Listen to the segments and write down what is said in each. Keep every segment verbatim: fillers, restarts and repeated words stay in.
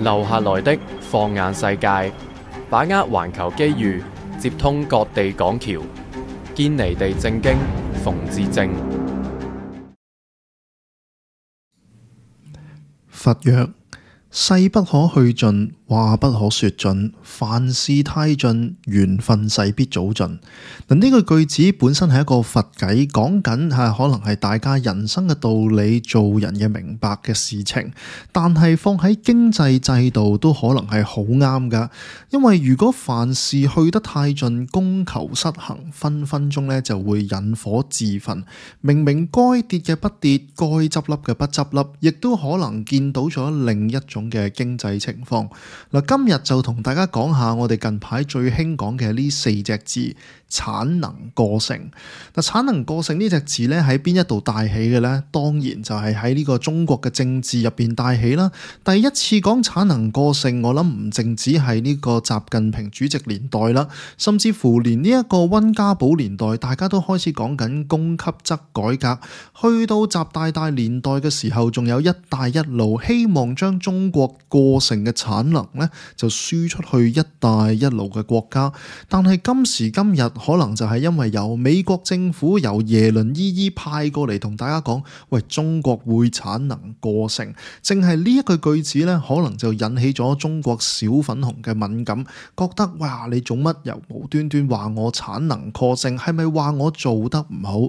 留下來的放眼世界，把握環球機遇，接通各地港橋，堅尼地正經，馮智政。佛曰：世不可去盡，話不可說盡，凡事太盡，緣分勢必早盡。嗱，呢個句子本身係一個佛偈，講緊係可能係大家人生嘅道理、做人嘅明白嘅事情，但係放喺經濟制度都可能係好啱噶。因為如果凡事去得太盡，供求失衡，分分鐘咧就會引火自焚。明明該跌嘅不跌，該執笠嘅不執笠，亦都可能見到咗另一種嘅經濟情況。嗱，今日就同大家講下我哋近排最興講嘅呢四隻字：產能過剩。嗱，產能過剩呢隻字咧喺邊一度帶起嘅咧？當然就係喺呢個中國嘅政治入邊帶起啦。第一次講產能過剩，我諗唔淨止係呢個習近平主席年代啦，甚至乎連呢一個溫家寶年代，大家都開始講緊供給側改革。去到習大大年代嘅時候，仲有一帶一路，希望將中國過剩嘅產能咧就輸出去一帶一路嘅國家。但係今時今日，可能就係因為由美國政府由耶倫姨姨派過嚟同大家講，喂，中國會產能過剩，淨係呢一句句子咧，可能就引起咗中國小粉紅嘅敏感，覺得哇，你做乜又無端端話我產能過剩，係咪話我做得唔好？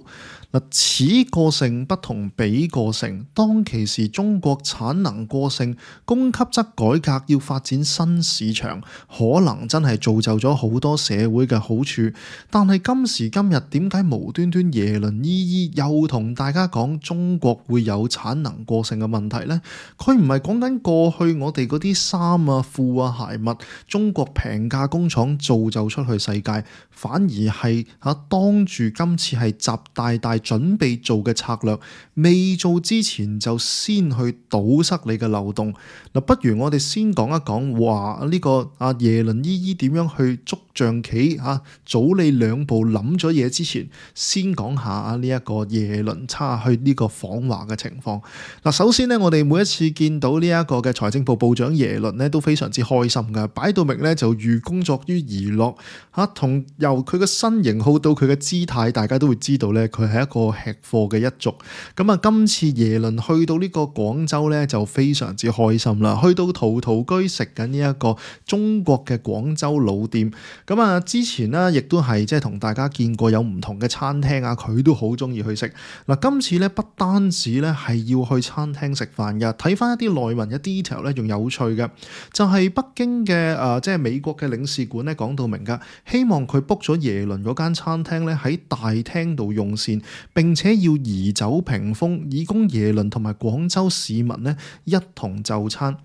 嗱，此過剩不同彼過剩，當其時中國產能過剩，供給側改革要發展新市場，可能真係造就咗好多社會嘅好處。但係今時今日，點解無端端耶倫姨姨又同大家講中國會有產能過剩嘅問題呢？佢唔係講緊過去我哋嗰啲衫啊、褲啊、鞋襪，中國平價工廠造就出去世界，反而係嚇當住今次係習大大準備做嘅策略，未做之前就先去堵塞你嘅漏洞。嗱，不如我哋先講一講話呢個阿耶倫姨姨點樣去捉象棋嚇，早你兩步諗咗嘢之前，先講下啊呢一個耶倫差去呢個訪華嘅情況。嗱，首先呢，我哋每一次見到呢一個嘅財政部部長耶倫呢，都非常之開心噶，擺到明呢，就寓工作於娛樂嚇，同由佢嘅身型好到佢嘅姿態，大家都會知道呢，佢係一個吃貨嘅一族。咁啊，今次耶倫去到呢個廣州呢，就非常之開心啦，去到陶陶居食緊呢一個中國嘅廣州老店。咁啊，之前呢，亦都係即係同大家見過有唔同嘅餐廳啊，佢都好中意去食。嗱，今次咧不單止咧係要去餐廳食飯嘅，睇翻一啲內文嘅 detail 咧，仲有趣嘅，就係、是、北京嘅誒、呃，即係美國嘅領事館咧講到明噶，希望佢 book 咗耶倫嗰間餐廳咧喺大廳度用膳，並且要移走屏風，以供耶倫同埋廣州市民咧一同就餐。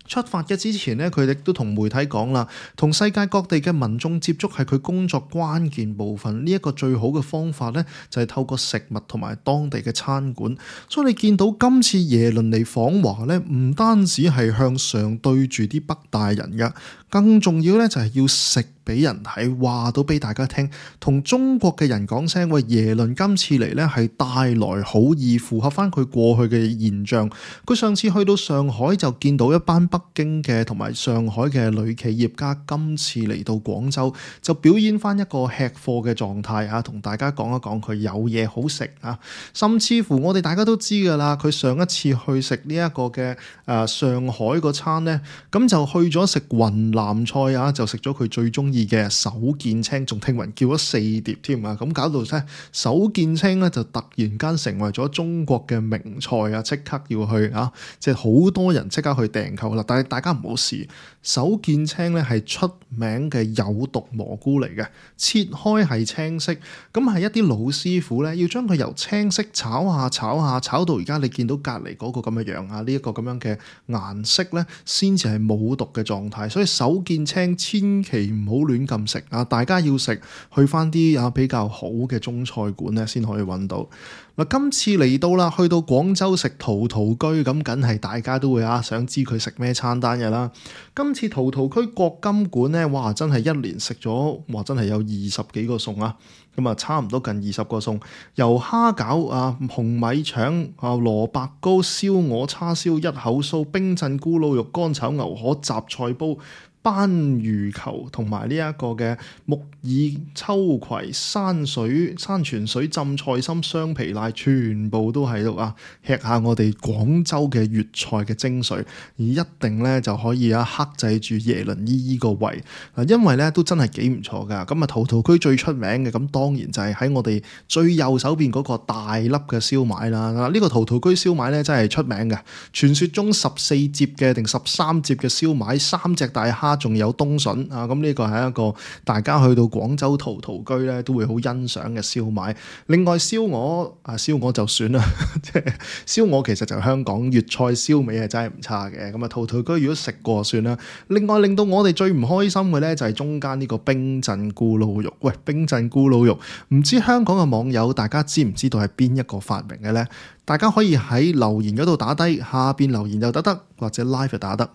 出發嘅之前呢，佢亦都同媒體講啦，同世界各地嘅民眾接觸係佢工作關鍵部分。呢一個最好嘅方法呢，就係透過食物同埋當地嘅餐館。所以你見到今次耶倫嚟訪華呢，唔單止係向上對住啲北大人㗎，更重要呢就係要食俾人睇，話到俾大家聽，同中國嘅人講聲，喂，耶倫今次嚟呢係帶來好意，符合翻佢過去嘅現象。佢上次去到上海就見到一班北京嘅同埋上海嘅女企業家，今次嚟到廣州就表演翻一個吃貨嘅狀態啊，同大家講一講佢有嘢好食啊。甚至乎我哋大家都知㗎啦，佢上一次去食呢一個嘅誒、呃、上海個餐呢，咁就去咗食雲南菜啊，就食咗佢最中意嘅手見青，仲聽聞叫咗四碟添啊！咁搞到咧手見青咧就突然間成為咗中國嘅名菜啊！即刻要去啊！即係好多人即刻去訂購啦。但係大家唔好試，手見青咧係出名嘅有毒蘑菇嚟嘅，切開係青色，咁係一啲老師傅咧要將佢由青色炒下炒下炒到而家你見到隔離嗰個咁嘅樣啊！呢、這、一個咁樣嘅顏色咧，先至係冇毒嘅狀態。所以手見青千祈唔好亂咁食啊！大家要食去翻啲啊比較好嘅中菜館咧，先可以揾到。嗱，今次嚟到啦，去到廣州食陶陶居，咁梗係大家都會啊想知佢食咩餐單嘅啦。今次陶陶居國金館咧，哇，真係一連食咗，哇，真係有二十幾個餸啊！咁啊差唔多近二十個餸，由蝦餃啊、紅米腸啊、蘿蔔糕、燒鵝、叉燒、一口酥、冰鎮咕嚕肉、乾炒牛河、雜菜煲、斑魚球同埋呢一個嘅木耳秋葵山水山泉水浸菜心雙皮奶，全部都喺度啊！吃下我哋廣州嘅粵菜嘅精髓，而一定咧就可以啊克制住耶倫姨姨個胃嗱，因為咧都真係幾唔錯噶。咁啊，陶陶居最出名嘅咁當然就係喺我哋最右手邊嗰個大粒嘅燒賣啦。嗱，呢個陶陶居燒賣咧真係出名嘅，傳說中十四節嘅定十三節嘅燒賣，三隻大蝦。仲有冬筍啊！咁呢個係一個大家去到廣州陶陶居咧都會好欣賞嘅燒賣。另外燒鵝啊，燒鵝就算啦，即係燒鵝其實就香港粵菜燒味係真係唔差嘅。咁啊，陶陶居如果食過算啦。另外令到我哋最唔開心嘅咧就係中間呢個冰鎮咕嚕肉。喂，冰鎮咕嚕肉，唔知香港嘅網友大家知唔知道係邊一個發明嘅咧？大家可以喺留言嗰度打低，下邊留言又得得，或者 live 就打得。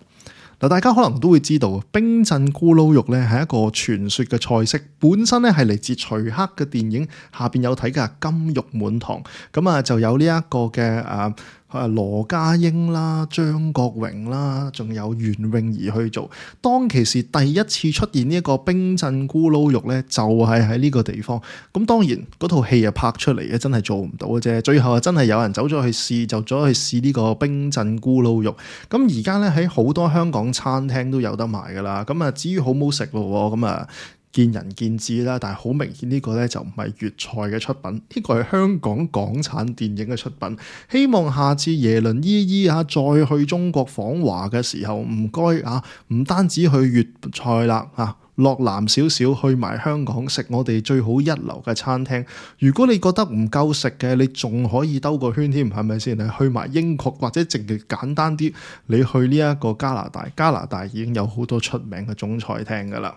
嗱，大家可能都會知道，冰鎮咕嚕肉咧係一個傳說嘅菜式，本身咧係嚟自徐克嘅電影，下邊有睇嘅《金玉滿堂》，咁啊就有呢一個嘅誒誒羅家英啦、張國榮啦，仲有袁詠儀去做。當其時第一次出現呢一個冰鎮咕嚕肉咧，就係喺呢個地方。咁當然嗰套戲啊拍出嚟嘅真係做唔到嘅啫。最後啊真係有人走咗去試，就走去試呢個冰鎮咕嚕肉。咁而家咧喺好多香港餐廳都有得賣噶啦。咁啊至於好唔好食咯，咁啊見仁見智啦，但係好明顯呢個咧就唔係粵菜嘅出品，呢個係香港港產電影嘅出品。希望下次耶倫姨姨啊再去中國訪華嘅時候，唔該啊，唔單止去粵菜啦啊，落南少少去埋香港食我哋最好一流嘅餐廳。如果你覺得唔夠食嘅，你仲可以兜個圈添，係咪先？你去埋英國或者淨係簡單啲，你去呢一個加拿大，加拿大已經有好多出名嘅中菜廳噶啦。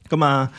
咁啊，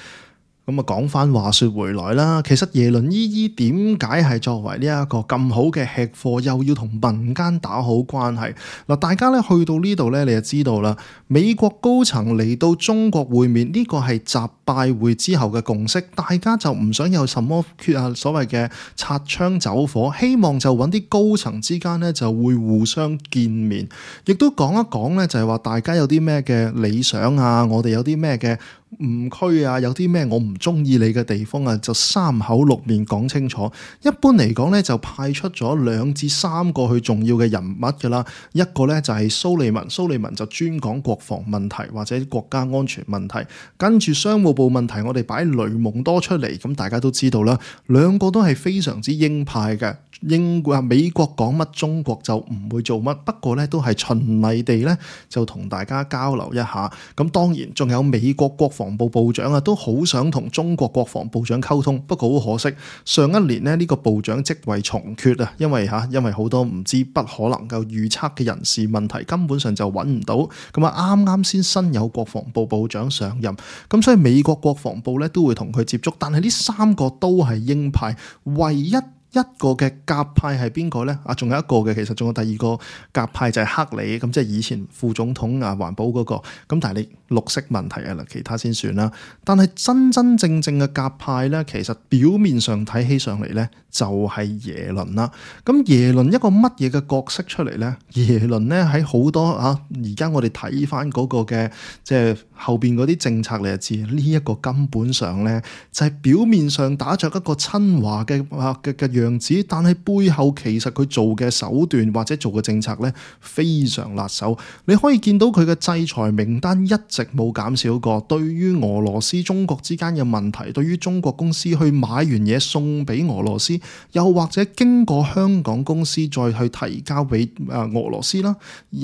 咁啊講翻話說回來啦，其實耶倫姨姨點解係作為呢一個咁好嘅吃貨，又要同民間打好關係？嗱，大家咧去到呢度咧，你就知道啦。美國高層嚟到中國會面，呢個係習拜會之後嘅共識，大家就唔想有什麼缺啊所謂嘅擦槍走火，希望就揾啲高層之間咧就會互相見面，亦都講一講咧就係話大家有啲咩嘅理想啊，我哋有啲咩嘅誤區啊，有啲咩我唔中意你嘅地方啊，就三口六面講清楚。一般嚟講咧，就派出咗兩至三個去重要嘅人物噶啦。一個咧就係蘇利文，蘇利文就專講國防問題或者國家安全問題。跟住商務部問題，我哋擺雷蒙多出嚟，咁大家都知道啦。兩個都係非常之鷹派嘅。英國啊，美國講乜，中國就唔會做乜。不過咧，都係循例地咧，就同大家交流一下。咁當然仲有美國國防部部長啊，都好想同中國國防部長溝通。不過好可惜，上一年呢，呢個部長職位重缺啊，因為嚇因為好多唔知不可能夠預測嘅人事問題，根本上就揾唔到。咁啊，啱啱先新有國防部部長上任，咁所以美國國防部咧都會同佢接觸。但係呢三個都係鷹派，唯一一個嘅鴿派係邊個呢？啊，仲有一個嘅，其實仲有第二個鴿派就係克里，咁即係以前副總統啊，環保嗰個。咁但係你綠色問題啊啦，其他先算啦。但係真真正正嘅鴿派呢，其實表面上睇起上嚟呢，就係耶倫啦。咁耶倫一個乜嘢嘅角色出嚟呢？耶倫呢喺好多啊，而家我哋睇翻嗰個嘅即係後邊嗰啲政策，你就知呢一個根本上呢，就係表面上打着一個親華嘅啊嘅嘅樣子，但係背後其實佢做嘅手段或者做嘅政策咧非常辣手。你可以見到佢嘅制裁名單一直冇減少過。對於俄羅斯中國之間嘅問題，對於中國公司去買完嘢送俾俄羅斯，又或者經過香港公司再去提交俾啊俄羅斯啦、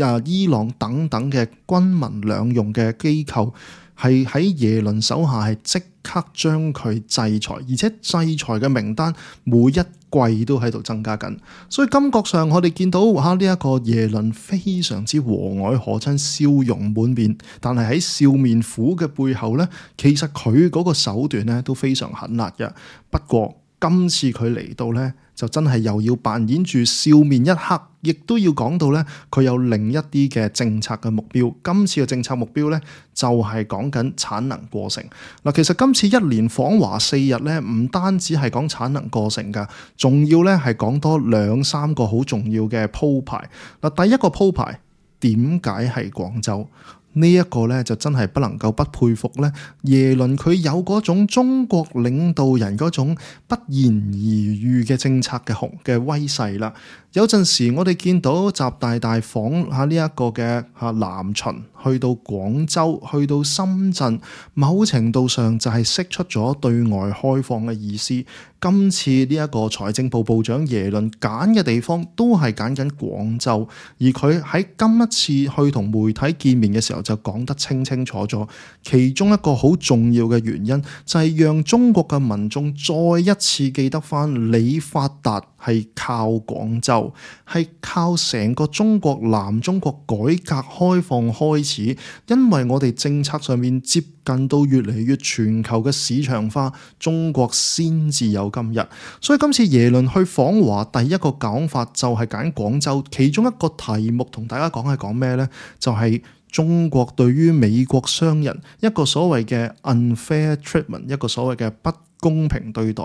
啊伊朗等等嘅軍民兩用嘅機構，係喺耶倫手下係即刻將佢制裁，而且制裁嘅名單每一季都喺度增加緊。所以感覺上我哋見到哇，呢一個耶倫非常之和藹可親，笑容滿面，但係喺笑面虎嘅背後呢，其實佢嗰個手段呢都非常狠辣嘅。不過今次佢嚟到呢，就真係又要扮演住笑面一刻，亦都要講到咧佢有另一啲嘅政策嘅目標。今次嘅政策目標咧就係講緊產能過剩。嗱，其實今次一連訪華四日咧，唔單止係講產能過剩㗎，仲要咧係講多兩三個好重要嘅鋪排。嗱，第一個鋪排，點解係廣州？呢一個咧就真係不能夠不佩服咧，耶倫佢有嗰種中國領導人嗰種不言而喻嘅政策嘅雄嘅威勢啦。有陣時我哋見到習大大訪下呢一個嘅嚇南巡，去到廣州，去到深圳，某程度上就係釋出咗對外開放嘅意思。今次呢一個財政部部長耶倫揀嘅地方都係揀緊廣州，而佢喺今一次去同媒體見面嘅時候就講得清清楚楚。其中一個好重要嘅原因就係讓中國嘅民眾再一次記得返你發達係靠廣州，係靠成個中國南中國改革開放開始，因為我哋政策上面接近到越嚟越全球嘅市場化，中國先至有今日。所以今次耶倫去訪華，第一個講法就係揀廣州，其中一個題目同大家講係講咩呢？就係、是、中國對於美國商人一個所謂嘅 unfair treatment， 一個所謂嘅不公平對待。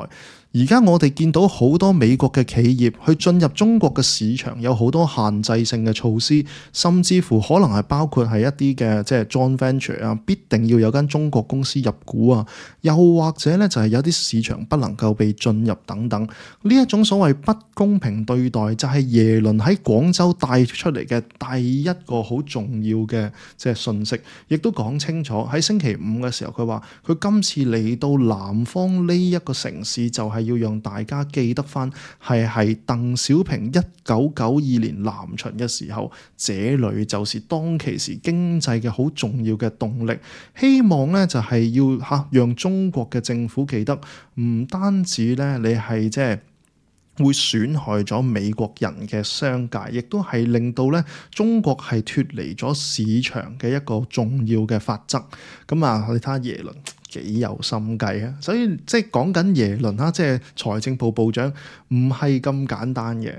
而家我哋見到好多美國嘅企業去進入中國嘅市場，有好多限制性嘅措施，甚至乎可能係包括係一啲嘅即係 joint venture 啊，必定要有間中國公司入股啊，又或者咧就係有啲市場不能夠被進入等等。呢一種所謂不公平對待，就係耶倫喺廣州帶出嚟嘅第一個好重要嘅即係信息，亦都講清楚喺星期五嘅時候，佢話佢今次嚟到南方呢一個城市就係、是。要讓大家記得翻，係係鄧小平一九九二年南巡嘅時候，這裏就是當其時經濟嘅好重要嘅動力。希望咧就係要吓讓中國嘅政府記得，唔單止咧你係即係會損害咗美國人嘅商界，亦都係令到咧中國係脫離咗市場嘅一個重要嘅法則。咁啊，你睇下耶倫幾有心計啊！所以即係講緊耶倫啦，即係財政部部長，唔係咁簡單嘅。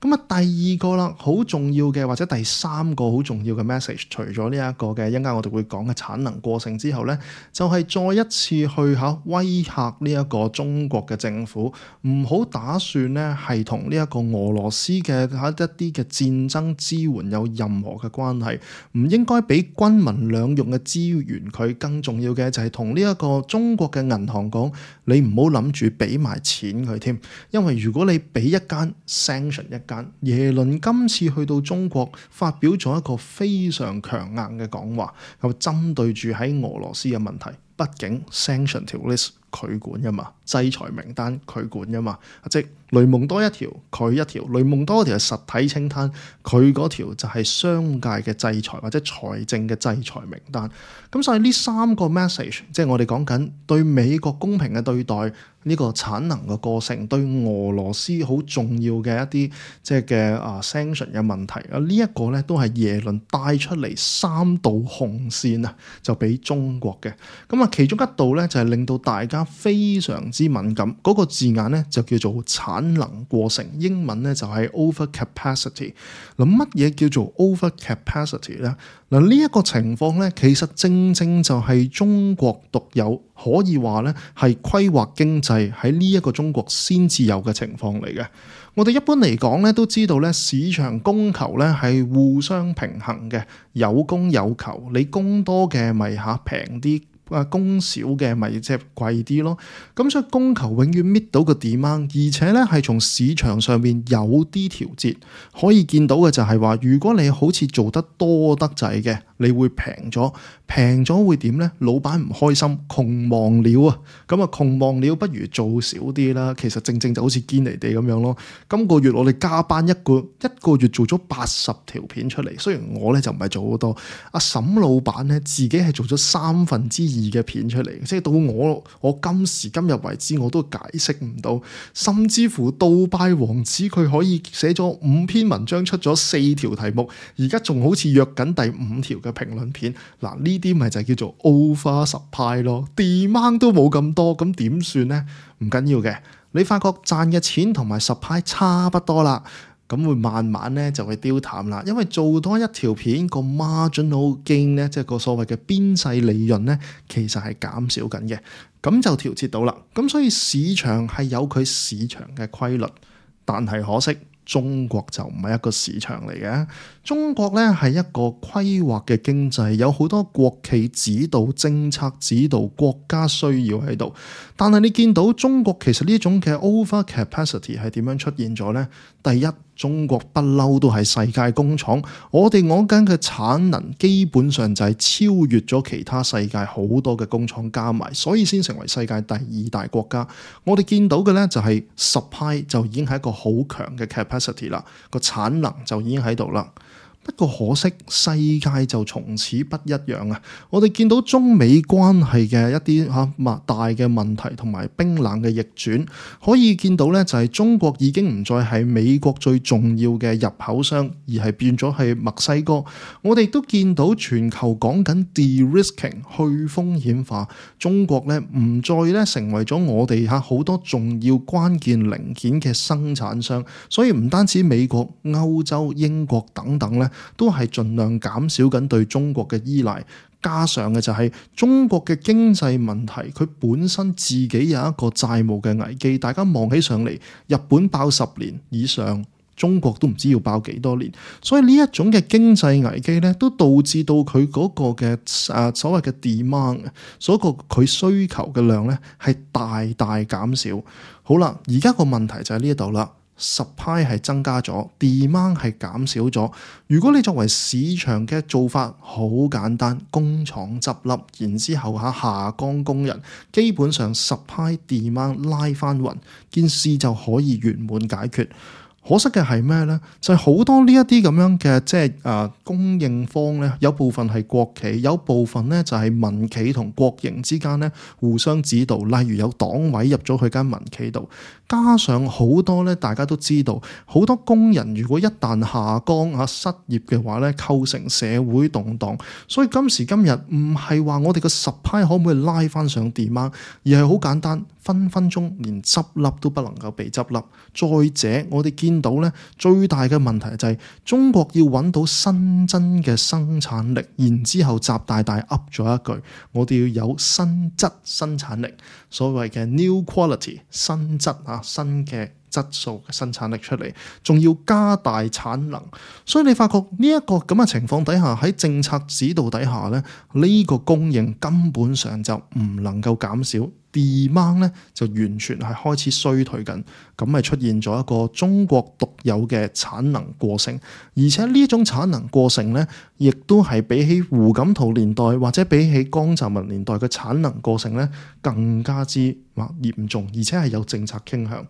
咁啊，第二個啦，好重要嘅或者第三個好重要嘅 message， 除咗呢一個嘅一陣間我哋會講嘅產能過剩之後咧，就係、是、再一次去嚇威嚇呢一個中國嘅政府，唔好打算咧係同呢一個俄羅斯嘅一啲嘅戰爭支援有任何嘅關係，唔應該俾軍民兩用嘅資源佢。更重要嘅就係同呢一個中國嘅銀行講，你唔好諗住俾埋錢佢添，因為如果你俾一間 sanction 一間，耶倫今次去到中國發表咗一個非常強硬嘅講話，又針對住喺俄羅斯嘅問題。畢竟 sanction 條 list 佢管㗎嘛，制裁名單佢管㗎嘛，即雷蒙多一條佢一條，雷蒙多嗰條係實體清單，佢嗰條就係商界嘅制裁或者財政嘅制裁名單。咁所以呢三個 message， 即係我哋講緊對美國公平嘅對待，呢個產能嘅過剩，對俄羅斯好重要嘅一啲即係嘅啊 sanction 嘅問題啊，呢一個咧都係耶倫帶出嚟三道紅線啊，就俾中國嘅。咁啊，其中一道咧就係令到大家非常之敏感，嗰個字眼咧就叫做產能過剩，英文咧就係 over capacity。嗱，乜嘢叫做 over capacity 咧？嗱，呢一個情況咧，其實正正就係中國獨有，可以話咧係規劃經濟喺呢一個中國先至有嘅情況嚟嘅。我哋一般嚟講咧都知道咧，市場供求咧係互相平衡嘅，有供有求，你供多嘅咪嚇平啲。啊，供少嘅咪即係貴啲咯，咁所以供求永遠搣到個 demand，而且咧係從市場上面有啲調節，可以見到嘅就係話，如果你好似做得多得滯嘅，你會平咗，平咗會點咧？老闆唔開心，窮忙了啊！咁啊，窮忙了不如做少啲啦。其實正正就好似堅尼地咁樣咯。今個月我哋加班一個一個月做咗八十條片出嚟，雖然我咧就唔係做好多，阿沈老闆咧自己係做咗三分之二嘅片出嚟，即係到我我今時今日為止我都解釋唔到，甚至乎杜拜王子佢可以寫咗五篇文章出咗四條題目，而家仲好似約緊第五條嘅嘅評論片。嗱，呢啲咪就叫做 over supply 咯 ，demand 都冇咁多，咁點算呢？唔緊要嘅，你發覺賺嘅錢同埋 supply 差不多啦。咁會慢慢咧就會丟淡啦，因為做多一條片個 marginal gain 咧，即係個所謂嘅邊際利潤咧，其實係減少緊嘅，咁就調節到啦。咁所以市場係有佢市場嘅規律，但係可惜中國就唔係一個市場嚟嘅。中國咧係一個規劃嘅經濟，有好多國企指導、政策指導、國家需要喺度。但係你見到中國其實呢種嘅 over capacity 係點樣出現咗呢？第一，中國不嬲都係世界工廠，我哋講緊嘅產能基本上就係超越咗其他世界好多嘅工廠加埋，所以先成為世界第二大國家。我哋見到嘅呢，就係 supply 就已經係一個好強嘅 capacity 啦，個產能就已經喺度啦。不過可惜世界就從此不一樣啊！我哋見到中美關係嘅一啲嚇大嘅問題同埋冰冷嘅逆轉，可以見到咧就係中國已經唔再係美國最重要嘅入口商，而係變咗係墨西哥。我哋都見到全球講緊 de-risking 去風險化，中國咧唔再咧成為咗我哋嚇好多重要關鍵零件嘅生產商，所以唔單止美國、歐洲、英國等等咧，都係盡量減少緊對中國嘅依賴，加上嘅就係中國嘅經濟問題，佢本身自己有一個債務嘅危機，大家望起上嚟，日本爆十年以上，中國都唔知要爆幾多年，所以呢一種嘅經濟危機咧，都導致到佢嗰個嘅誒所謂嘅 demand， 所個佢需求嘅量咧係大大減少。好啦，而家個問題就喺呢一度啦。supply 係增加咗 demand 係減少咗。如果你作為市場嘅做法好簡單，工廠執笠，然之後下下崗工人，基本上 supply demand 拉翻勻，件事就可以圓滿解決。可惜嘅係咩呢？就係、是、好多呢一啲咁樣嘅即係誒供應方咧，有部分係國企，有部分咧就係民企同國營之間咧互相指導。例如有黨委入咗去間民企度，加上好多咧大家都知道，好多工人如果一旦下崗啊失業嘅話咧，構成社會動盪。所以今時今日唔係話我哋個 supply 可唔可以拉翻上 demand，而係好簡單，分分鐘連執笠都不能夠被執笠。再者，我哋見到咧最大嘅問題就係中國要揾到新增嘅生產力，然之後習大大噏咗一句，我哋要有新質生產力，所謂嘅 new quality 新質啊，新嘅質素嘅生產力出嚟，仲要加大產能。所以你發覺呢一個咁嘅情況底下，喺政策指導底下咧，呢個供應根本上就唔能夠減少。demand 咧就完全係開始衰退緊，咁咪出現咗一個中國獨有嘅產能過剩，而且呢種產能過剩咧，亦都係比起胡錦濤年代或者比起江澤民年代嘅產能過剩咧更加之嚴重，而且係有政策傾向。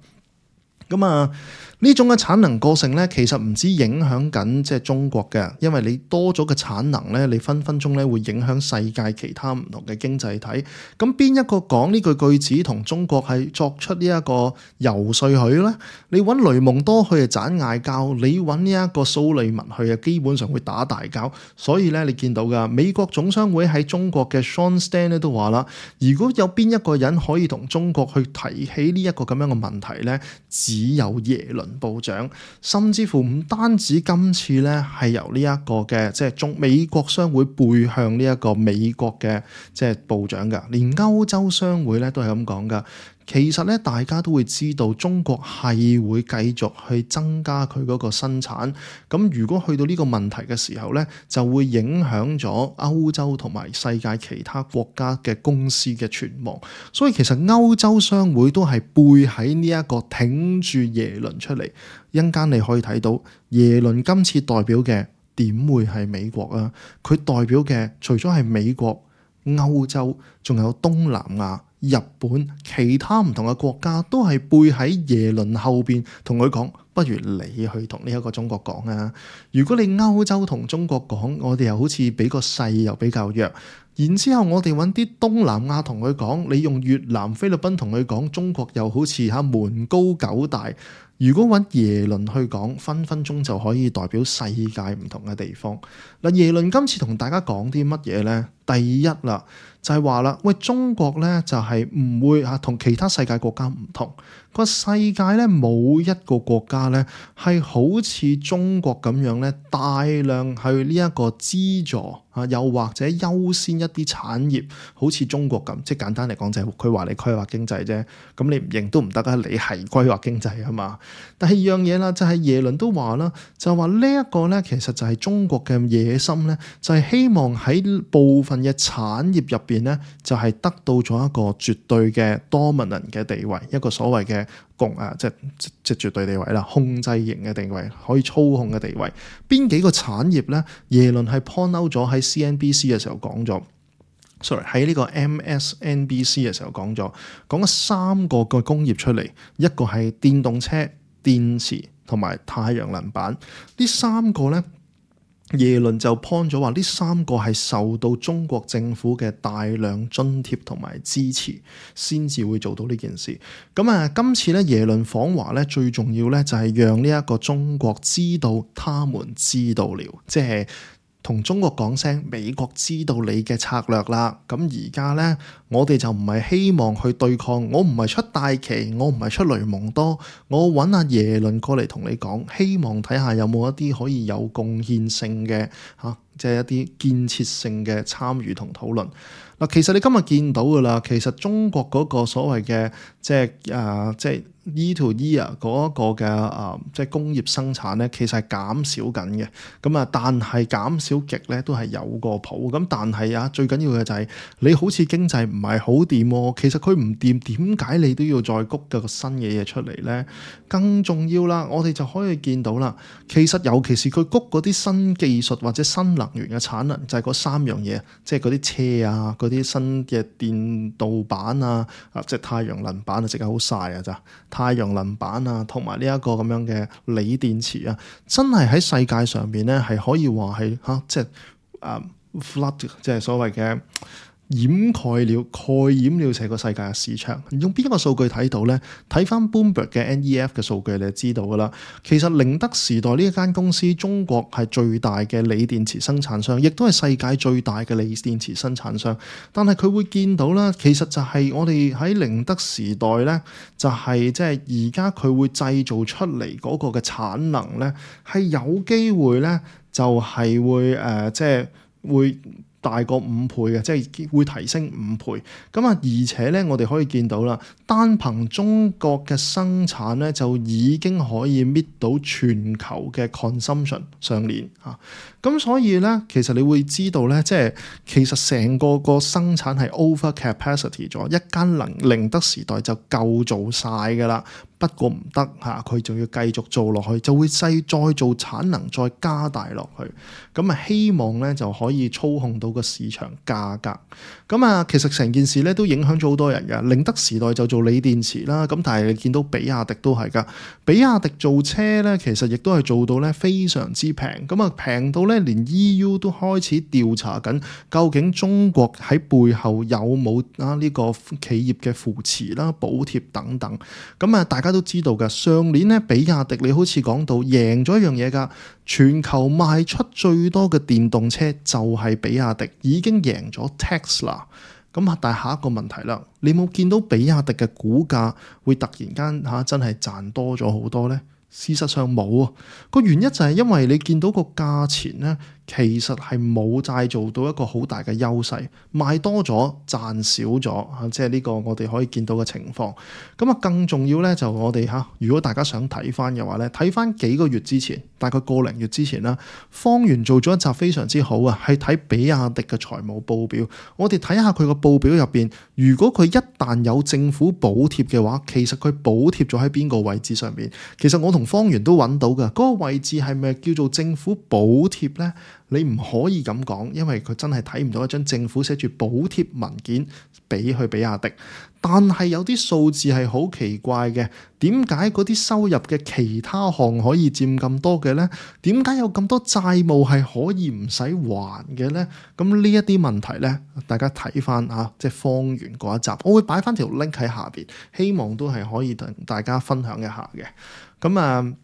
咁啊，呢種嘅產能過剩咧，其實唔止影響緊即係中國嘅，因為你多咗嘅產能咧，你分分鐘咧會影響世界其他唔同嘅經濟體。咁邊一個講呢句句子同中國係作出呢一個游說佢咧？你揾雷蒙多去就盞嗌交，你揾呢一個蘇利文去啊，基本上會打大交。所以咧，你見到噶美國總商會喺中國嘅 Sean Stan 咧都話啦，如果有邊一個人可以同中國去提起呢一個咁樣嘅問題咧，只有耶倫部長，甚至乎唔單止今次咧係由呢一個嘅即係中美國商會背向呢一個美國嘅即係部長噶，連歐洲商會咧都係咁講噶。其實咧，大家都會知道中國係會繼續去增加佢嗰個生產。咁如果去到呢個問題嘅時候咧，就會影響咗歐洲同埋世界其他國家嘅公司嘅存亡。所以其實歐洲商會都係背喺呢一個挺住耶倫出嚟。一陣間你可以睇到耶倫今次代表嘅點會係美國啊？佢代表嘅除咗係美國、歐洲，仲有東南亞、日本，其他唔同嘅國家都係背喺耶倫後邊同佢講，不如你去同呢一個中國講啊。如果你歐洲同中國講，我哋又好似比個勢又比較弱。然之後我哋揾啲東南亞同佢講，你用越南、菲律賓同佢講，中國又好似嚇門高九大。如果揾耶倫去講，分分鐘就可以代表世界唔同嘅地方。嗱，耶倫今次同大家講啲乜嘢呢？第一啦，就係話啦，喂，中國呢就係唔會嚇同其他世界國家唔同。個世界呢冇一個國家呢係好似中國咁樣呢，大量去呢一個資助啊，又或者優先一啲產業，好似中國咁。即係簡單嚟講就係佢話你規劃經濟啫，咁你唔認都唔得啊！你係規劃經濟啊嘛。第二樣嘢啦，就係耶倫都話啦，就話呢一個呢，其實就係中國嘅野心呢，就係希望喺部分嘅產業入邊呢，就係得到咗一個絕對嘅 dominant 嘅地位，一個所謂嘅共啊，即係即係絕對地位啦，控制型嘅地位，可以操控嘅地位。邊幾個產業呢？耶倫係 point out 咗喺 C N B C 嘅時候講咗。sorry 喺呢個 M S N B C 嘅時候講咗，講咗三個個工業出嚟，一個係電動車、電池同埋太陽能板。呢三個呢，耶倫就 point 咗話，呢三個係受到中國政府嘅大量津貼同埋支持，先至會做到呢件事。咁啊，今次咧耶倫訪華咧，最重要咧就係讓呢一個中國知道，他們知道了，即係同中國講聲，美國知道你嘅策略啦。咁而家呢，我哋就唔係希望去對抗，我唔係出大旗，我唔係出雷蒙多，我揾阿耶倫過嚟同你講，希望睇下有冇一啲可以有貢獻性嘅嚇，即係一啲建設性嘅參與同討論。嗱，其實你今日見到噶啦，其實中國嗰個所謂嘅即係誒即係 E to E 啊嗰一個嘅誒即係工業生產咧，其實係減少緊嘅。咁啊，但係減少極咧都係有個譜。咁但係啊，最緊要嘅就係你好似經濟唔係好掂喎。其實佢唔掂，點解你都要再谷個新嘅嘢出嚟咧？更重要啦，我哋就可以見到啦。其實尤其是佢谷嗰啲新技術或者新能源嘅產能，就係嗰三樣嘢，即係嗰啲車啊，啲新嘅電導板啊，啊即係太陽能板啊，即係好曬啊咋！太陽能板啊，同埋呢一個咁樣嘅鋰電池啊，真係喺世界上邊咧係可以話係嚇，即係啊 flood，即係所謂嘅掩蓋了、蓋掩了成個世界嘅市場。用邊一個數據睇到咧？睇翻 Bloomberg 嘅 N E F 嘅數據，你就知道噶啦。其實寧德時代呢一間公司，中國係最大嘅鋰電池生產商，亦都係世界最大嘅鋰電池生產商。但係佢會見到啦，其實就係我哋喺寧德時代咧，就係即係而家佢會製造出嚟嗰個嘅產能咧，係有機會咧，就係會誒，即係會大過五倍嘅，即係會提升五倍。咁啊，而且咧，我哋可以見到啦，單憑中國嘅生產咧，就已經可以搣到全球嘅 consumption 上年嚇。咁所以咧，其實你會知道咧，即係其實成個個生產係 over capacity 咗，一間能寧德時代就夠做晒㗎啦。不過唔得嚇，佢仲要繼續做落去，就會細再做產能，再加大落去。咁啊，希望咧就可以操控到個市場價格。咁啊，其實成件事咧都影響咗好多人㗎。寧德時代就做鋰電池啦，咁但係你見到比亞迪都係㗎。比亞迪做車咧，其實亦都係做到咧非常之平。咁啊，平到咧連 E U 都開始調查緊，究竟中國喺背後有冇啊呢個企業嘅扶持啦、補貼等等。咁啊，大家都知道㗎，上年咧比亞迪你好似講到贏咗一樣嘢㗎，全球賣出最多嘅電動車就係比亞迪，已經贏咗 Tesla。咁啊，但係下一個問題啦，你冇見到比亞迪嘅股價會突然間嚇真係賺多咗好多呢？事實上冇啊，個原因就係因為你見到個價錢呢，其實係冇再做到一個好大嘅優勢，賣多咗賺少咗嚇，即係呢個我哋可以見到嘅情況。咁啊，更重要咧就我哋嚇，如果大家想睇翻嘅話咧，睇翻幾個月之前，大概個零月之前啦，方圓做咗一集非常之好啊，係睇比亞迪嘅財務報表。我哋睇下佢個報表入邊，如果佢一旦有政府補貼嘅話，其實佢補貼咗喺邊個位置上邊？其實我同方圓都揾到㗎，嗰個位置係咪叫做政府補貼咧？你唔可以咁講，因為佢真係睇唔到一張政府寫住補貼文件俾去比亞迪。但係有啲數字係好奇怪嘅，點解嗰啲收入嘅其他項可以佔咁多嘅呢？點解有咁多債務係可以唔使還嘅呢？咁呢一啲問題呢，大家睇翻啊，即係方圓嗰一集，我會擺翻條 link 喺下邊，希望都係可以同大家分享一下嘅。咁啊，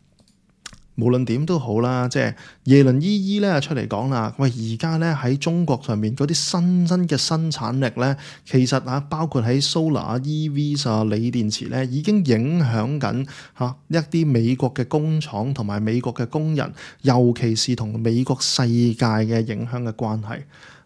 無論點都好啦，即係耶倫姨姨咧出嚟講啦，喂，而家咧喺中國上面嗰啲新增嘅生產力咧，其實啊包括喺 solar、E V 啊、鋰電池咧，已經影響緊嚇一啲美國嘅工廠同埋美國嘅工人，尤其是同美國世界嘅影響嘅關係。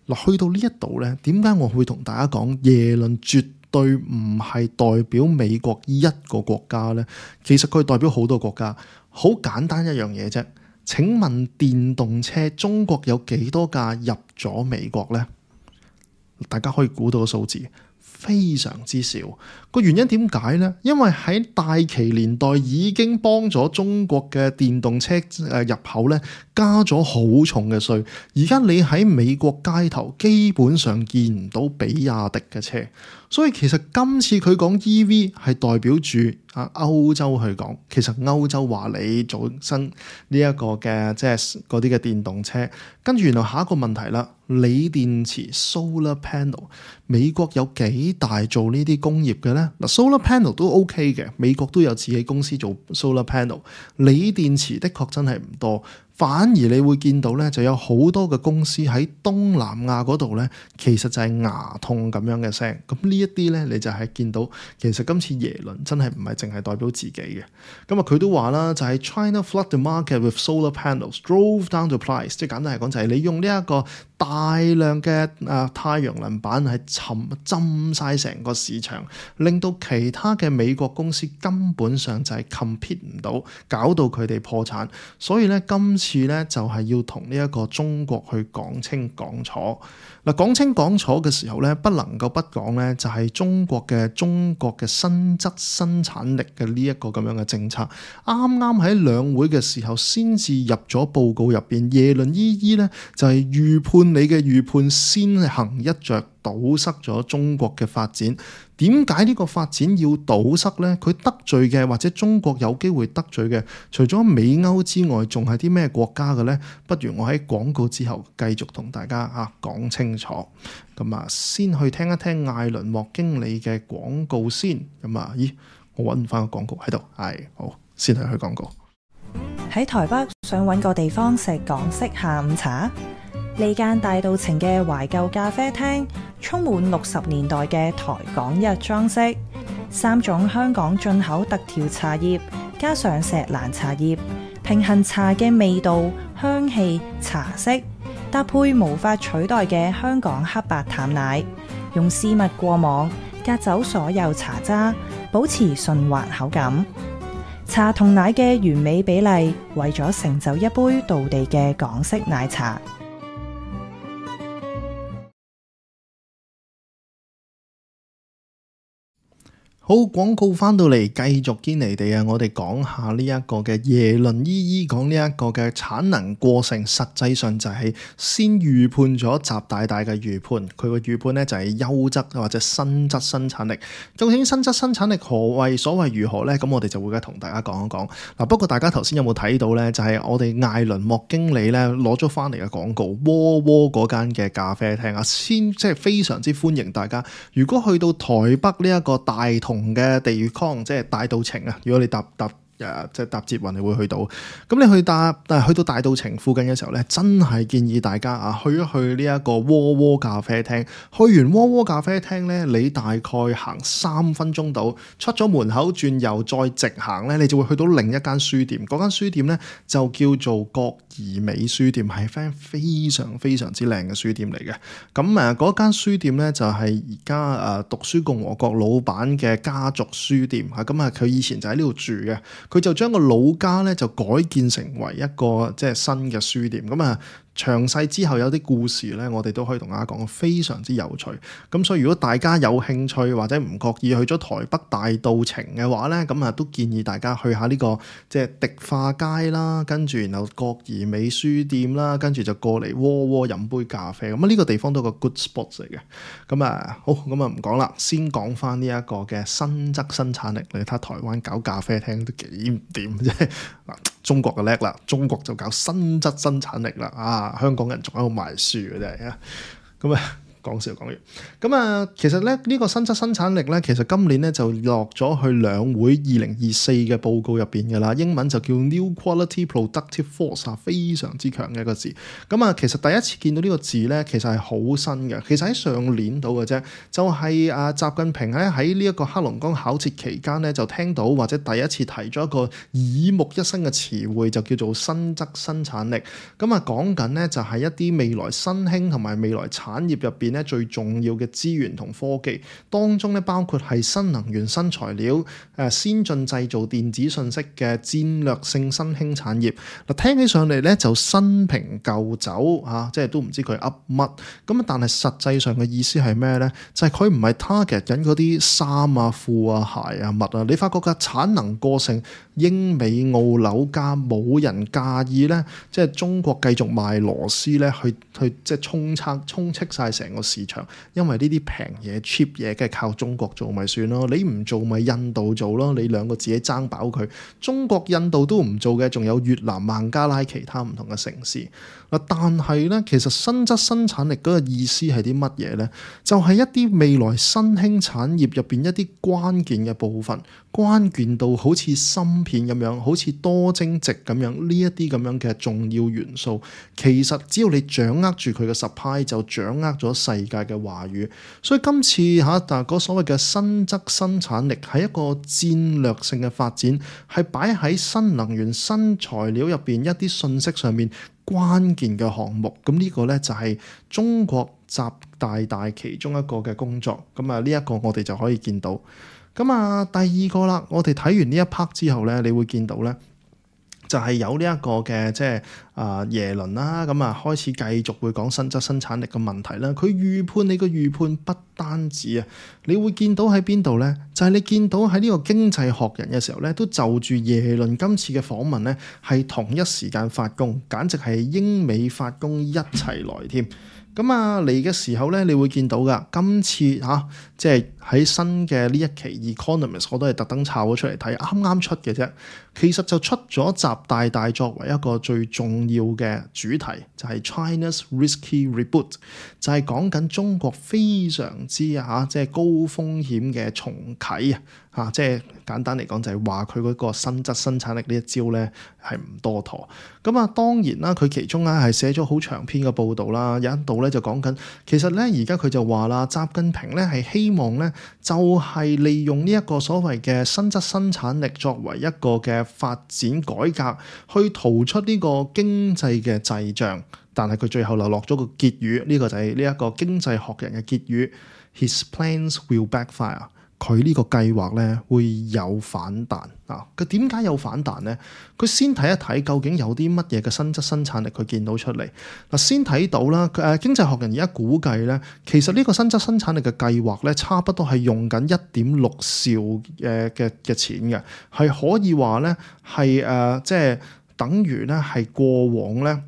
嗱，去到呢一度咧，點解我會同大家講耶倫絕對唔係代表美國一個國家咧？其實佢代表好多國家。好簡單一樣嘢啫，請問電動車中國有幾多架入咗美國呢？大家可以估到個數字，非常之少。個原因點解呢？因為喺大旗年代已經幫咗中國嘅電動車誒入口咧加咗好重嘅稅，而家你喺美國街頭基本上見唔到比亞迪嘅車。所以其實今次佢講 E V 係代表住啊歐洲去講，其實歐洲話你做新呢一個嘅即係嗰啲嘅電動車，跟住原來下一個問題啦，鋰電池 solar panel， 美國有幾大做呢啲工業嘅咧？嗱 solar panel 都 OK 嘅，美國都有自己公司做 solar panel， 鋰電池的確真係唔多。反而你會見到咧，就有好多嘅公司喺東南亞嗰度咧，其實就係牙痛咁樣嘅聲。咁呢一啲咧，你就係見到其實今次耶倫真係唔係淨係代表自己嘅。咁啊，佢都話啦，就係 China flood the market with solar panels, drove down the price。即係簡單嚟講，就係你用呢一個大量嘅啊太陽能板係沉浸晒成個市場，令到其他嘅美國公司根本上就係 compete 唔到，搞到佢哋破產。所以咧，今次次咧就係要同呢一個中國去講清講楚。嗱，講清講楚嘅時候咧，不能夠不講咧，就係中國嘅中國嘅新質生產力嘅呢一個咁樣嘅政策。啱啱喺兩會嘅時候先至入咗報告入邊，耶倫姨姨咧就係預判你嘅預判先行一着，堵塞咗中國嘅發展。點解呢個發展要堵塞呢？佢得罪嘅或者中國有機會得罪嘅，除咗美歐之外，仲係啲咩國家嘅呢？不如我喺廣告之後繼續同大家啊講清楚。咁啊，先去聽一聽艾倫莫經理嘅廣告先。咁啊，咦，我揾唔翻個廣告喺度，係好，先去去廣告。喺台北想揾個地方食港式下午茶？呢間大道情嘅懷舊咖啡廳，充滿六十年代嘅台港日裝飾，三種香港進口特調茶葉，加上錫蘭茶葉，平衡茶嘅味道、香氣、茶色，搭配無法取代嘅香港黑白淡奶，用絲襪過網，隔走所有茶渣，保持順滑口感。茶同奶嘅完美比例，為咗成就一杯道地嘅港式奶茶。好，廣告翻到嚟，繼續堅尼地啊！我哋講下呢一個嘅耶倫姨姨講呢一個嘅產能過剩，實際上就係先預判咗習大大嘅預判。佢個預判咧就係優質或者新質生產力。究竟新質生產力何謂所謂如何咧？咁我哋就會而家同大家講一講。嗱，不過大家頭先有冇睇到咧？就係、是、我哋艾倫莫經理咧攞咗翻嚟嘅廣告，窩窩嗰間嘅咖啡廳啊，先即係非常之歡迎大家。如果去到台北呢一個大同嘅地方，即係大稻埕啊！如果你搭搭誒即係搭捷運，你會去到。咁你去搭但係去到大稻埕附近嘅時候咧，真係建議大家啊去一去呢一個窩窩咖啡廳。去完窩窩咖啡廳咧，你大概行三分鐘到，出咗門口轉右再直行咧，你就會去到另一間書店。嗰間書店咧就叫做國怡美書店，係間非常非常之靚嘅書店嚟嘅。咁誒嗰間書店咧就係而家誒讀書共和國老闆嘅家族書店嚇。咁啊佢以前就喺呢度住嘅。佢就將個老家咧就改建成為一個即係新嘅書店，咁啊詳細之後有啲故事咧，我哋都可以同大家講，非常之有趣。咁所以如果大家有興趣或者唔覺意去咗台北大道程嘅話咧，咁啊都建議大家去下呢、這個即係迪化街啦，跟住然後國兒美書店啦，跟住就過嚟窩窩飲杯咖啡。咁啊呢個地方都係個 good spot 嚟嘅。咁啊好，咁啊唔講啦，先講翻呢一個嘅新質生產力。你睇台灣搞咖啡廳都幾唔掂啫。中國嘅叻啦，中國就搞新質生產力啦。啊，香港人仲喺度賣書嘅真係啊。咁啊講笑講完。咁啊其實咧呢、呢個新質生產力咧，其實今年咧就落咗去兩會二零二四嘅報告入邊嘅啦。英文就叫 New Quality Productive Force 啊，非常之強嘅一個字。咁啊其實第一次見到呢個字咧，其實係好新嘅。其實喺上年度嘅啫，就係、是、啊習近平喺喺呢一個黑龍江考察期間咧，就聽到或者第一次提咗一個耳目一新嘅詞彙，就叫做新質生產力。咁啊講緊咧就係一啲未來新興同埋未來產業入邊咧最重要嘅資源同科技當中咧，包括係新能源、新材料、誒先進製造、電子信息嘅戰略性新興產業。嗱，聽起上嚟咧就新瓶舊酒嚇、啊，即係都唔知佢噏乜。咁但係實際上嘅意思係咩咧？就係佢唔係 target 緊嗰啲衫啊、褲啊、鞋啊、襪啊。你發覺嘅產能過剩，英美澳紐加冇人介意咧，即係中國繼續賣螺絲咧，去去即係充測充斥晒成個市場。因為呢啲平嘢 cheap 嘢，梗係靠中國做咪算咯。你唔做咪印度做咯。你兩個自己爭飽佢。中國、印度都唔做嘅，仲有越南、孟加拉其他唔同嘅城市。嗱，但係咧，其實新質生產力嗰個意思係啲乜嘢咧？就係、是、一啲未來新興產業入邊一啲關鍵嘅部分，關鍵到好似芯片咁樣，好似多晶矽咁樣，呢一啲咁樣嘅重要元素，其實只要你掌握住佢嘅 supply，就掌握咗世界嘅話語。所以今次嚇，但係嗰所謂嘅新質生產力係一個戰略性嘅發展，係擺喺新能源、新材料入邊一啲信息上面關鍵嘅項目。咁呢個咧就係中國習大大其中一個嘅工作。咁啊呢一個我哋就可以見到。咁啊第二個啦，我哋睇完呢一 part 之後咧，你會見到咧。就係有呢一個嘅即係啊耶倫啦，咁啊開始繼續會講新質生產力嘅問題啦。佢預判你個預判不單止啊，你會見到喺邊度咧？就係、是、你見到喺呢個經濟學人嘅時候咧，都就住耶倫今次嘅訪問咧，係同一時間發功，簡直係英美發功一齊來添。咁啊嚟嘅時候咧，你會見到噶，今次嚇、啊、即係喺新嘅呢一期 Economist， 我都係特登抄咗出嚟睇，啱啱出嘅啫。其實就出咗習大大作為一個最重要嘅主題，就係、是、China's Risky Reboot， 就係講緊中國非常之嚇即係高風險嘅重啟啊！嚇，即係簡單嚟講就係話佢嗰個新質生產力呢一招咧係唔多妥。咁啊當然啦，佢其中咧係寫咗好長篇嘅報導啦，有一度咧就講緊，其實咧而家佢就話啦，習近平咧係希望咧就係利用呢一個所謂嘅新質生產力作為一個嘅發展改革，去逃出呢個經濟嘅滯脹。但係佢最後就落咗個結語，呢、這個就係呢一個經濟學人嘅結語 His plans will backfire。佢呢個計劃咧會有反彈啊！佢點解有反彈咧？佢先睇一睇究竟有啲乜嘢嘅新質生產力佢見到出嚟嗱，先睇到啦。誒經濟學人而家估計咧，其實呢個新質生產力嘅計劃咧，差不多係用緊一點六兆誒嘅嘅錢嘅，係可以話咧係誒即係等於咧係過往咧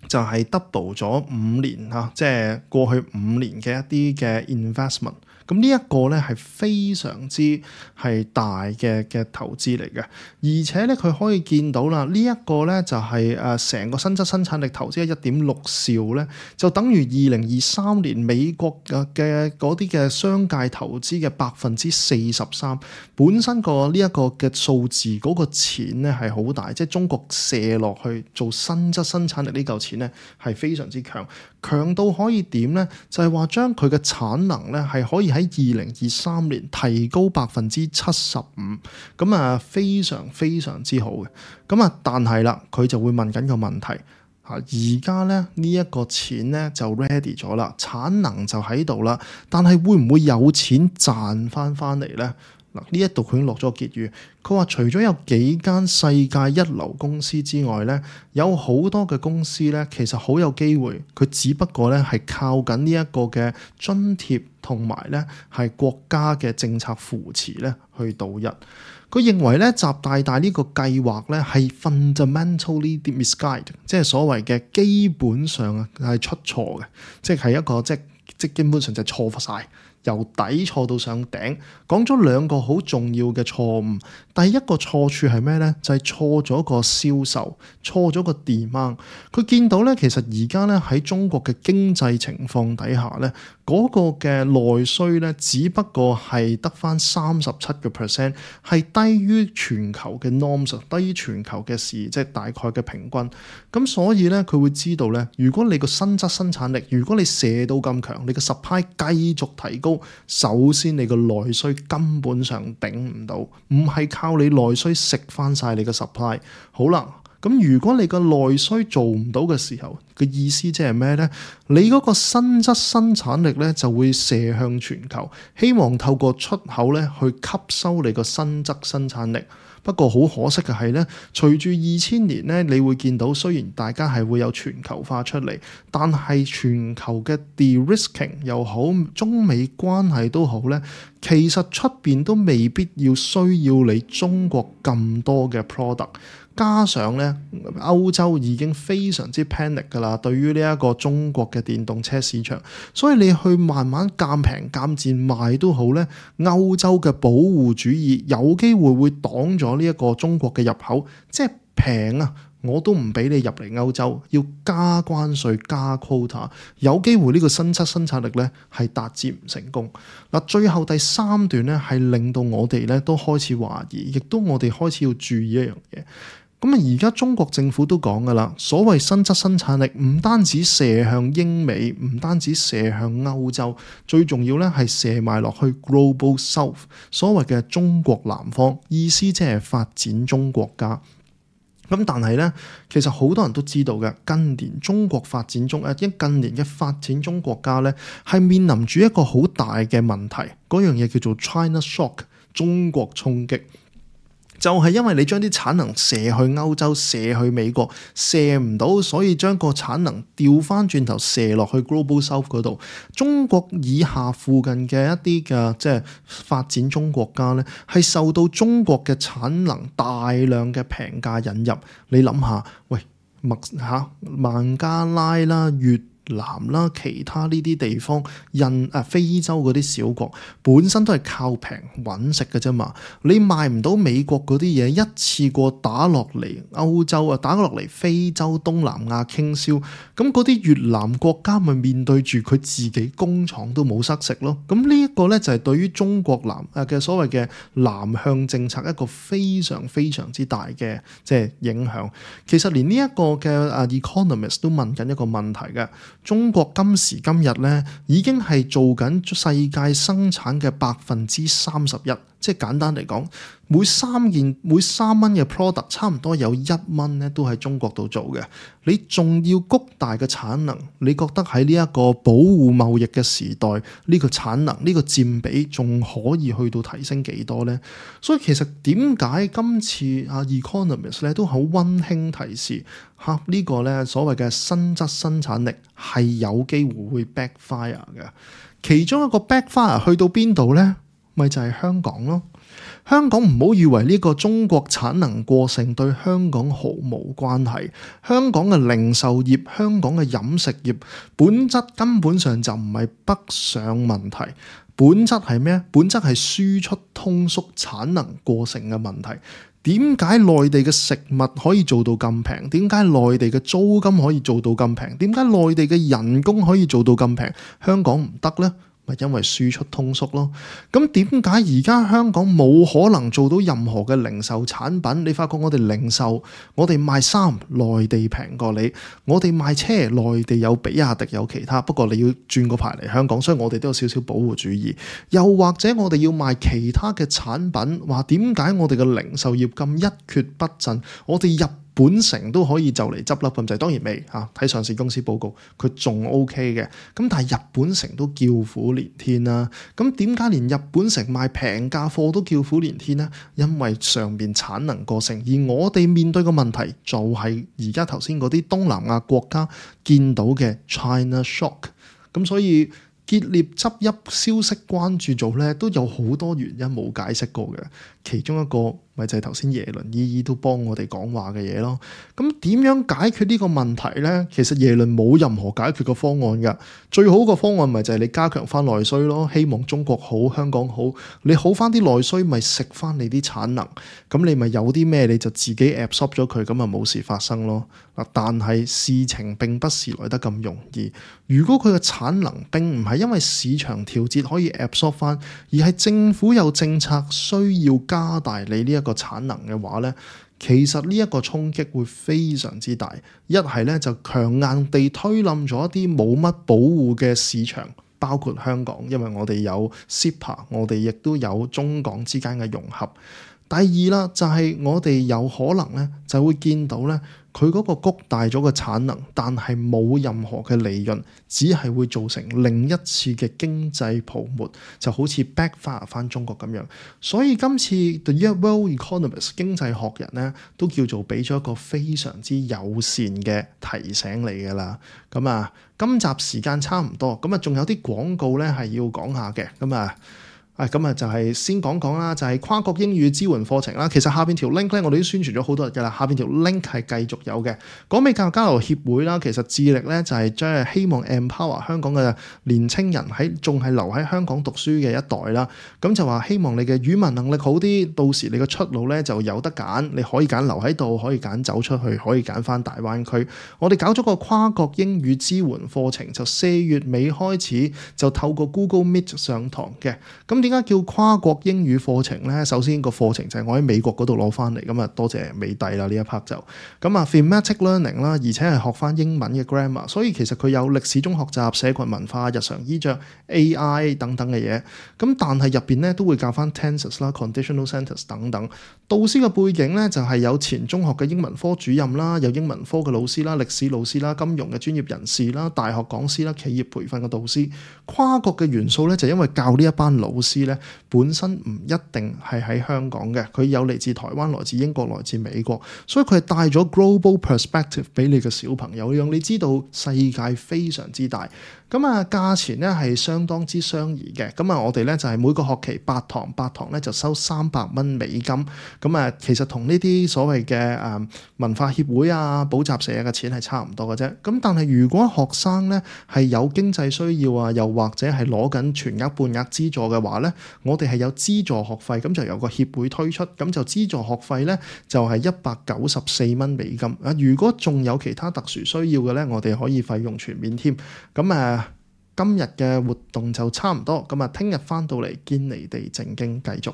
就係 double 咗五年嚇，即係過去五年嘅一啲嘅 investment。咁呢一個咧係非常之係大嘅嘅投資嚟嘅，而且咧佢可以見到啦，呢、這、一個咧就係誒成個新質生產力投資一點六兆咧，就等於二零二三年美國嘅嘅嗰啲嘅商界投資嘅百分之四十三。本身個呢一個嘅數字嗰個錢咧係好大，即係中國射落去做新質生產力呢嚿錢咧係非常之強，強到可以點咧？就係話將佢嘅產能咧係可以喺二零二三年提高百分之七十五，咁啊非常非常之好嘅。咁啊，但係啦，佢就會問緊個問題嚇，而家咧呢一個錢咧就 ready 咗啦，產能就喺度啦，但係會唔會有錢賺翻翻嚟咧？嗱，呢一度佢已經落咗個結語，佢話除咗有幾間世界一流公司之外咧，有好多嘅公司咧，其實好有機會，佢只不過咧係靠緊呢一個嘅津貼同埋咧係國家嘅政策扶持咧去度日。佢認為咧習大大呢個計劃咧係 fundamentally misguided，即係所謂嘅基本上啊係出錯嘅，即係一個即即基本上就錯晒。由底錯到上頂，講咗兩個好重要嘅錯誤。第一個錯處係咩呢？就係、是、錯咗個銷售，錯咗個 demand。佢見到咧，其實而家咧喺中國嘅經濟情況底下咧，嗰、那個嘅內需咧，只不過係得返三十七個 percent，係低於全球嘅 norms， 低於全球嘅市，即係大概嘅平均。咁所以咧，佢會知道咧，如果你個新質生產力，如果你射到咁強，你個 supply 繼續提高，首先你個內需根本上頂唔到，唔係靠你內需食翻晒你個 supply。好啦，咁如果你個內需做唔到嘅時候，個意思即係咩呢？你嗰個新質生產力咧就會射向全球，希望透過出口咧去吸收你個新質生產力。不過好可惜嘅係咧，隨住二千年咧，你會見到雖然大家係會有全球化出嚟，但係全球嘅 de-risking 又好，中美關係都好咧，其實出邊都未必要需要你中國咁多嘅 product。加上咧，歐洲已經非常之 panic 㗎啦，對於呢一個中國嘅電動車市場，所以你去慢慢減平減賤賣都好咧，歐洲嘅保護主義有機會會擋咗呢一個中國嘅入口，即係平啊，我都唔俾你入嚟歐洲，要加關稅加 quota， 有機會呢個新質生產力咧係達至唔成功。嗱，最後第三段咧係令到我哋咧都開始懷疑，亦都我哋開始要注意一樣嘢。咁啊，而家中國政府都講㗎啦，所謂新質生產力唔單止射向英美，唔單止射向歐洲，最重要咧係射埋落去 Global South， 所謂嘅中國南方，意思即係發展中國家。咁但係咧，其實好多人都知道嘅，近年中國發展中誒，近年嘅發展中國家咧係面臨住一個好大嘅問題，嗰樣嘢叫做 China Shock， 中國衝擊。就係因為你將啲產能射去歐洲、射去美國，射唔到，所以將個產能調翻轉頭射落去 Global South 嗰度。中國以下附近嘅一啲嘅即係發展中國家咧，係受到中國嘅產能大量嘅平價引入。你諗下，喂，麥嚇孟加拉啦、越南啦，其他呢啲地方，印啊非洲嗰啲小國本身都係靠平揾食嘅啫嘛。你賣唔到美國嗰啲嘢，一次過打落嚟歐洲啊，打落嚟非洲、東南亞傾銷，咁嗰啲越南國家咪面對住佢自己工廠都冇塞食咯。咁呢一個咧就係對於中國南啊嘅所謂嘅南向政策一個非常非常之大嘅即係影響。其實連呢一個嘅啊 Economist 都問緊一個問題嘅。中國今時今日咧，已經係做緊世界生產嘅百分之三十一，即係簡單嚟講，每三件每三蚊嘅 product， 差唔多有一蚊咧都喺中國度做嘅。你仲要谷大嘅產能，你覺得喺呢一個保護貿易嘅時代，呢個產能呢個佔比仲可以去到提升幾多呢？所以其實點解今次啊 Economist 咧都好溫馨提示嚇呢個咧所謂嘅新質生產力係有機會會 backfire 嘅。其中一個 backfire 去到邊度呢？咪就係香港咯。香港唔好以為呢個中國產能過剩對香港毫無關係。香港嘅零售業、香港嘅飲食業本質根本上就唔係北上問題，本質係咩？本質係輸出通縮、產能過剩嘅問題。點解內地嘅食物可以做到咁平？點解內地嘅租金可以做到咁平？點解內地嘅人工可以做到咁平？香港唔得呢？咪因為輸出通縮咯。咁點解而家香港冇可能做到任何嘅零售產品？你發覺我哋零售，我哋賣衫，內地平過你；我哋賣車，內地有比亞迪有其他，不過你要轉個牌嚟香港，所以我哋都有少少保護主義。又或者我哋要賣其他嘅產品，話點解我哋嘅零售業咁一蹶不振？我哋入本城都可以就嚟執笠咁滯，當然未嚇，睇上市公司報告佢仲 OK 嘅，咁但係日本城都叫苦連天啦。咁點解連日本城賣平價貨都叫苦連天呢？因為上面產能過剩，而我哋面對嘅問題就係而家頭先嗰啲東南亞國家見到嘅 China Shock， 咁所以結業執邑消息關注組咧都有好多原因冇解釋過嘅，其中一個咪就係頭先耶倫姨姨都幫我哋講話嘅嘢咯。咁點樣解決呢個問題呢？其實耶倫冇任何解決嘅方案㗎，最好個方案咪就係你加強翻內需咯，希望中國好，香港好，你好翻啲內需咪食翻你啲產能，咁你咪有啲咩你就自己 absorb 咗佢，咁啊冇事發生咯。嗱，但係事情並不是來得咁容易。如果佢嘅產能並唔係因為市場調節可以 absorb 翻，而係政府有政策需要加大你呢一個產能嘅話呢，其實呢一個衝擊會非常之大。一係呢，就強硬地推冧咗一啲冇乜保護嘅市場，包括香港，因為我哋有 C E P A， 我哋亦都有中港之間嘅融合。第二啦，就係我哋有可能呢，就會見到呢，佢嗰個谷大咗個產能，但係冇任何嘅利潤，只係會造成另一次嘅經濟泡沫，就好似 backfire 翻中國咁樣。所以今次 The World Economist 經濟學人呢，都叫做俾咗一個非常之友善嘅提醒你㗎啦。咁啊，今集時間差唔多，咁啊仲有啲廣告咧係要講下嘅，咁啊。啊，咁啊就係先講講啦，就係跨國英語支援課程啦。其實下邊條 link 咧，我哋都宣傳咗好多日㗎啦。下邊條 link 係繼續有嘅。港美教育交流協會啦，其實致力咧就係將希望 empower 香港嘅年青人喺仲係留喺香港讀書嘅一代啦。咁就話希望你嘅語文能力好啲，到時你嘅出路咧就有得揀，你可以揀留喺度，可以揀走出去，可以揀翻大灣區。我哋搞咗個跨國英語支援課程，就四月尾開始就透過 Google Meet 上堂嘅。咁點解叫跨國英語課程呢？首先個課程就係我喺美國嗰度攞翻嚟，咁啊多謝美帝啦呢一 part 就咁啊 thematic learning 啦，而且係學翻英文嘅 grammar， 所以其實佢有歷史中學習、社群文化、日常衣着、A I 等等嘅嘢。咁但係入邊咧都會教翻 tenses 啦、conditional sentence 等等。導師嘅背景咧就係有前中學嘅英文科主任啦，有英文科嘅老師啦、歷史老師啦、金融嘅專業人士啦、大學講師啦、企業培訓嘅導師。跨國嘅元素咧就因為教呢一班老師咧本身唔一定係喺香港嘅，佢有嚟自台灣、來自英國、來自美國，所以佢係帶咗 global perspective 俾你嘅小朋友，讓你知道世界非常之大。咁啊，價錢咧係相當之相宜嘅。咁啊，我哋咧就係每個學期八堂，八堂咧就收三百蚊美金。咁啊，其實同呢啲所謂嘅誒文化協會啊、補習社嘅錢係差唔多嘅啫。咁但係如果學生咧係有經濟需要啊，又或者係攞緊全額半額資助嘅話咧，我哋係有資助學費，咁就由個協會推出，咁就資助學費咧就係一百九十四蚊美金。啊，如果仲有其他特殊需要嘅咧，我哋可以費用全免添。咁誒。今日嘅活動就差唔多，咁啊，聽日翻到嚟堅尼地正經繼續。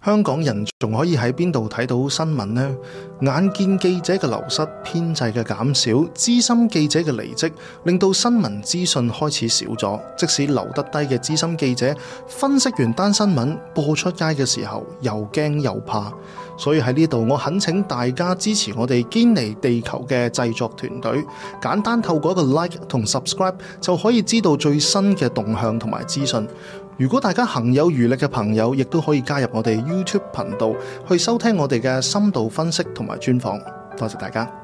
香港人仲可以喺邊度睇到新聞呢？眼見記者嘅流失、編制嘅減少、資深記者嘅離職，令到新聞資訊開始少咗。即使留得低嘅資深記者，分析完單新聞播出街嘅時候，又驚又怕。所以喺呢度，我懇請大家支持我哋堅尼地球嘅製作團隊，簡單透過一個 like 同 subscribe 就可以知道最新嘅動向同埋資訊。如果大家行有餘力嘅朋友，亦都可以加入我哋 YouTube 頻道去收聽我哋嘅深度分析同埋專訪。多謝大家。